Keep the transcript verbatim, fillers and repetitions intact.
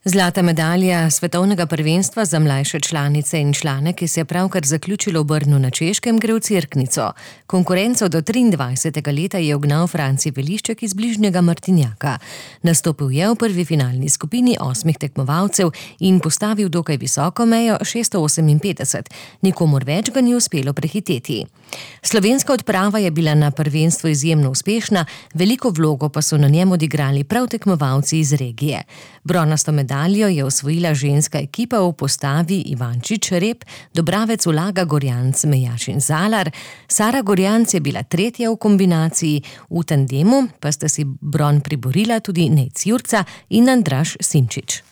Zlata medalja svetovnega prvenstva za mlajše članice in člane, ki se je pravkar zaključilo v Brnu na Češkem, gre v Cerknico. Konkurenco do triindvajsetega leta je ugnal Franci Velišček iz bližnjega Martinjaka. Nastopil je v prvi finalni skupini osmih tekmovalcev in postavil dokaj visoko mejo šeststo oseminpetdeset. Nikomur več ga ni uspelo prehiteti. Slovenska odprava je bila na prvenstvu izjemno uspešna, veliko vlogo pa so na njem odigrali prav tekmovalci iz regije. Bronasto medaljo je osvojila ženska ekipa v postavi Ivančič Rep, Dobravec Ulaga Gorjanc Mejašin Zalar, Sara Gorjanc je bila tretja v kombinaciji, v tandemu pa sta si bron priborila tudi Nejc Jurca in Andraž Simčič.